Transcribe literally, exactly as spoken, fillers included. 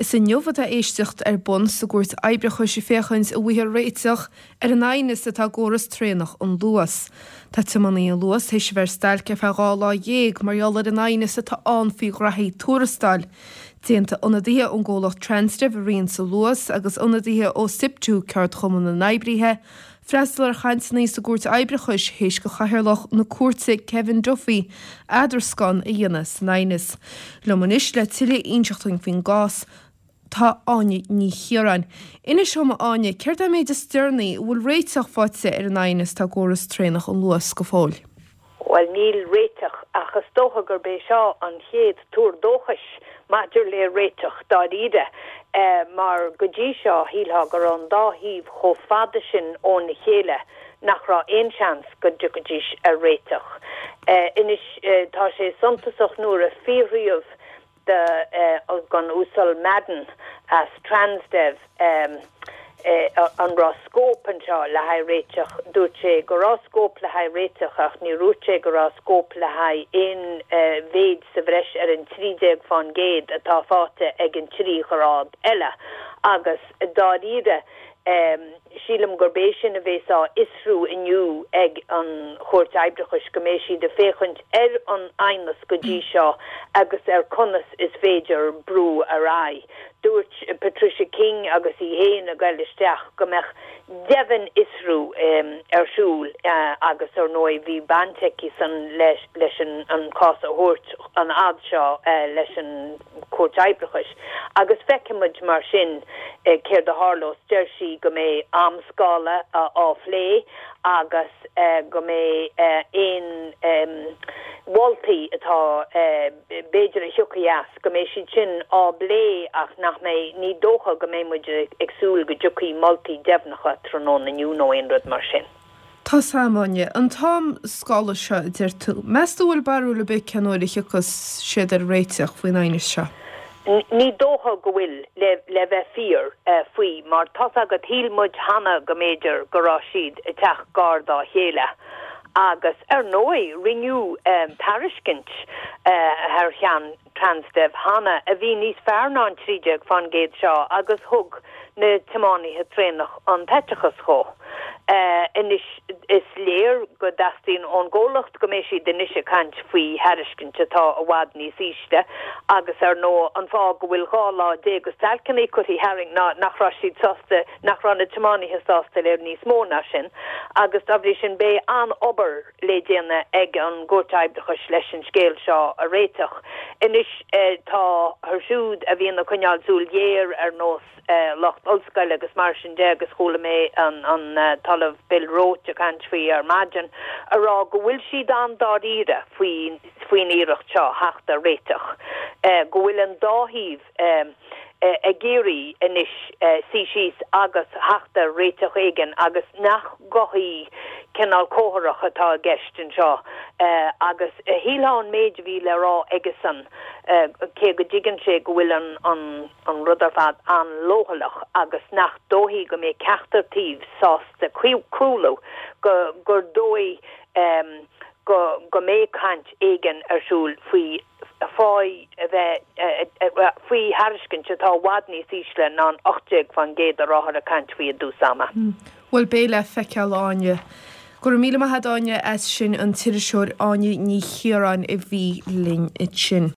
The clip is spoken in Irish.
Is inniu atá éisteacht ar bun sa gcúirt oibreachais féachaint an bhfaighfear réiteach ar an aighneas atá i gcóras traenach an Luas. Tá tiománaithe an Luas théis a bheith ar stailc ar feadh dhá lá dhéag mar gheall ar an aighneas atá ann faoi ghraithí tuarastail. D'aontaigh ionadaithe ón gcomhlacht Transdev a riarann an Luas agus ionadaithe ó SIPTU ceardchumann na n-oibrithe, freastal ar chainteanna sa gcúirt oibreachais théis do chathaoirleach na cúirte Kevin Duffy eadroscán a dhéanamh san aighneas. Liom anois le tuilleadh a inseacht dúinn faoin gcás tá Áine Ní Chiaráin. Inis dom a Áine, céard é an méid is deireanaí an bhfuil réiteach faighte ar an aighneas atá i gcóras traenach an Luas go fóill. Bhuel níl réiteach ach is dócha gurb é seo an chéad tuar dóchais maidir le réiteach dáiríre eh, mar go dtí seo shílfeá go raibh an dá thaobh chomh fada sin óna chéile nach raibh aon seans go dtiocfaidís ar réiteach. Eh, anois eh, tá sé suntasach nuair a fiafraíodh de den Uasal Madden as Transdev um, eh, an raibh scóip anseo le haghaidh réiteach dúirt sé go raibh scóip le haghaidh réiteach ach ní dúirt sé go raibh scóip le haghaidh aon eh, mhéid sa bhreis ar an trí déag faoin gcéad atá faighte ag an trí ghrád eile agus dáiríre um, sílim gurb é sin a bheas á fhiosrú inniu ag an chúirt oibreachais go mbeidh siad ag féachaint ar an aighneas go dtí seo agus ar conas is féidir brú ar aghaidh. Dúirt Patricia King agus í féin ag dul isteach go mbeadh deimhin-fhiosrú um, ar siúl uh, agus ar ndóigh bhí baint aici san leis, leis an, an cás a thabhairt an fhad seo uh, leis an chúirt oibreachais. Agus feicfimid mar sin uh, céard a tharlós deir sí go mbeidh amscála uh, á phlé agus uh, go mbeidh uh, aon um, mholtaí atá uh, b'fhéidir a thiocfaidh as go mbeidh siad sin á bplé ach nach mbeidh ní dócha go mbeidh muid ag súil go dtiocfaidh moltaí deimhneacha tráthnóna inniu nó aon rud mar sin. Tá Áine an t-amscála seo deir tú. Meas tú bhfuil barúil ar bith cén uair a thiocfas siad ar réiteach faoin aighneas seo. Ní dócha go bhfuil le, le bheith fíor uh, faoi mar tá agat shíl muid cheana go mb'fhéidir go raibh siad ag teacht gar dá chéile. Agus ar ndóigh rinneadh um, tairiscint uh, thar cheann Transdev cheana a bhí níos fearr ná an trí déag faoin gcéad seo agus thug na tiománaithe traenach an t-eiteachas dhó. Uh, anois is léir go dteastaíonn ón gcomhlacht go mbeidh siad anois ag caint faoi thairiscint atá i bhfad níos ísle agus ar ndóigh an fáth go bhfuil dhá lá déag de stailceanna curtha tharainn ná nach raibh siad sásta nach raibh na tiománaithe sásta le níos mó ná sin agus dá bhrí sin beidh an-obair le déanamh ag an gcúirt oibreachais leis an scéal seo a réiteach. Anois eh, tá siúd a bhíonn ag coinneáil súil ghéar ar nós eh, lucht ollscoile agus mar sin de agus chuala mé an, an uh, tOllamh Bill Roche ag caint faoi ar maidin a rá go bhfuil siad an-dáiríre faoi faoin iarracht seo theacht ar réiteach. Eh, go bhfuil an dá thaobh eh, eh, ag iarraidh anois eh, suí síos agus theacht ar réiteach éigin agus nach gothaí cineál comhrac atá i gceist anseo eh, agus eh, shílfeá an méid a bhí le rá aigesan eh, cé go dtuigeann sé go bhfuil an, an, an rud ar fad an-leochaileach agus nach dóigh go mbeidh ceachtar taobh sásta cúlú go gur dóigh um, go go mbeidh caint éigin ar siúl faoi faoi a bheith faoi thairiscint atá i bhfad níos ísle ná an ocht déag faoin gcéad a rabhthar ag caint faoi i dtús ama. Bhuel beidh le feiceáil Áine. Go raibh míle maith agat Áine as sin an t-iriseoir Áine Ní Chiaráin a bhí linn ansin.